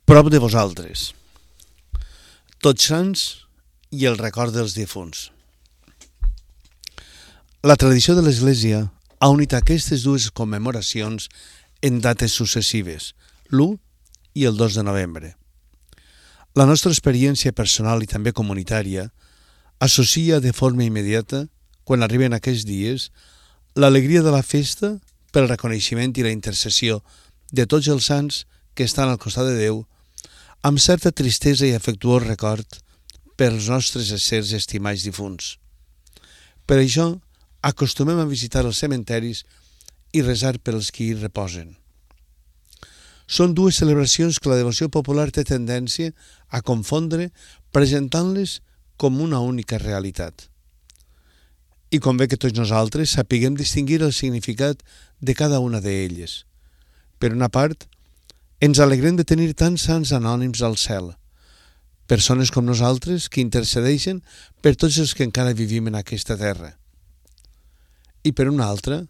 prop de vosaltres. Tots Sants i el record dels difunts. La tradició de l'Església ha unit aquestes dues commemoracions en dates successives, l'1 i el 2 de novembre. La nostra experiència personal i també comunitària associa de forma immediata, quan arriben aquests dies, l'alegria de la festa pel reconeixement i la intercessió de tots els sants que estan al costat de Déu, amb certa tristesa i afectuós record pels nostres éssers estimats difunts. Per això, acostumem a visitar els cementeris i resar pels qui hi reposen. Són dues celebracions que la devoció popular té tendència a confondre, presentant-les com una única realitat. I convé que tots nosaltres sapiguem distingir el significat de cada una d'elles. Per una part, ens alegrem de tenir tants sants anònims al cel, persones com nosaltres que intercedeixen per tots els que encara vivim en aquesta terra. I per una altra,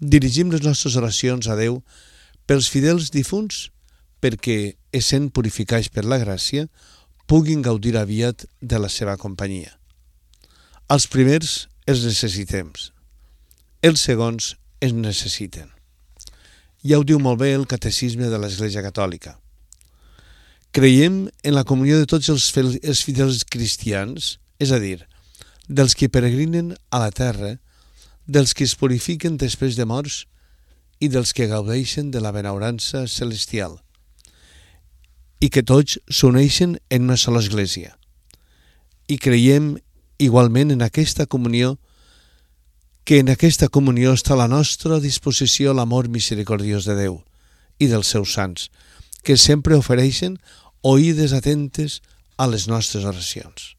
dirigim les nostres oracions a Déu pels fidels difunts perquè, essent purificats per la gràcia, puguin gaudir aviat de la seva companyia. Els primers els necessitem, els segons ens necessiten. Ja ho diu molt bé el Catecisme de l'Església Catòlica. Creiem en la comunió de tots els fidels cristians, és a dir, dels que peregrinen a la terra, dels que es purifiquen després de morts i dels que gaudeixen de la benaurança celestial, i que tots s'uneixen en una sola església. I creiem igualment en aquesta comunió, que en aquesta comunió està a la nostra disposició l'amor misericordiós de Déu i dels seus sants, que sempre ofereixen oïdes atentes a les nostres oracions.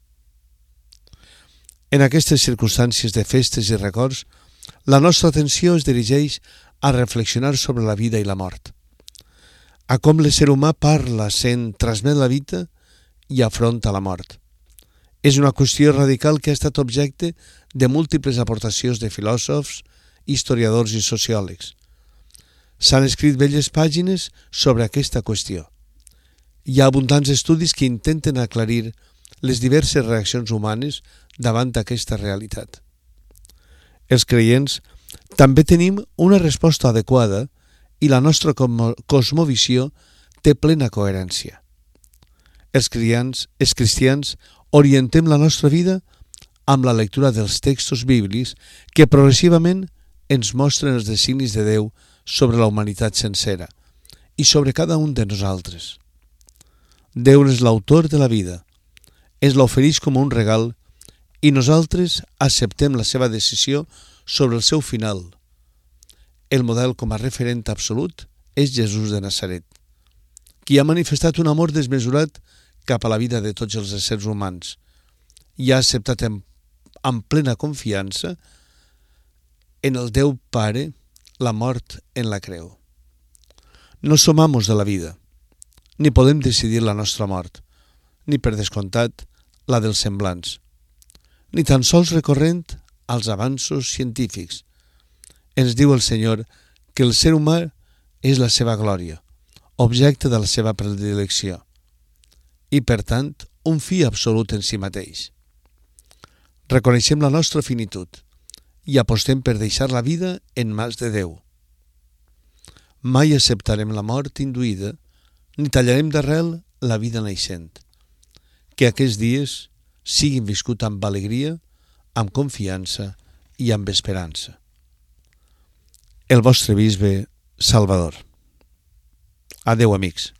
En aquestes circumstàncies de festes i records, la nostra atenció es dirigeix a reflexionar sobre la vida i la mort, a com l'ésser humà parla, sent, transmet la vida i afronta la mort. És una qüestió radical que ha estat objecte de múltiples aportacions de filòsofs, historiadors i sociòlegs. S'han escrit belles pàgines sobre aquesta qüestió. Hi ha abundants estudis que intenten aclarir les diverses reaccions humanes davant d'aquesta realitat. Els creients també tenim una resposta adequada i la nostra cosmovisió té plena coherència. Els cristians orientem la nostra vida amb la lectura dels textos bíblics que progressivament ens mostren els designis de Déu sobre la humanitat sencera i sobre cada un de nosaltres. Déu és l'autor de la vida, ens l'ofereix com un regal i nosaltres acceptem la seva decisió sobre el seu final. El model com a referent absolut és Jesús de Nazaret, qui ha manifestat un amor desmesurat cap a la vida de tots els éssers humans i ha acceptat amb plena confiança en el Déu Pare la mort en la creu. No som amos de la vida, ni podem decidir la nostra mort, ni per descomptat la dels semblants, ni tan sols recorrent als avanços científics. Ens diu el Senyor que el ser humà és la seva glòria, objecte de la seva predilecció, i, per tant, un fi absolut en si mateix. Reconeixem la nostra finitud i apostem per deixar la vida en mans de Déu. Mai acceptarem la mort induïda ni tallarem d'arrel la vida naixent. Que aquests dies siguin viscuts amb alegria, amb confiança i amb esperança. El vostre bisbe Salvador. Adéu, amics.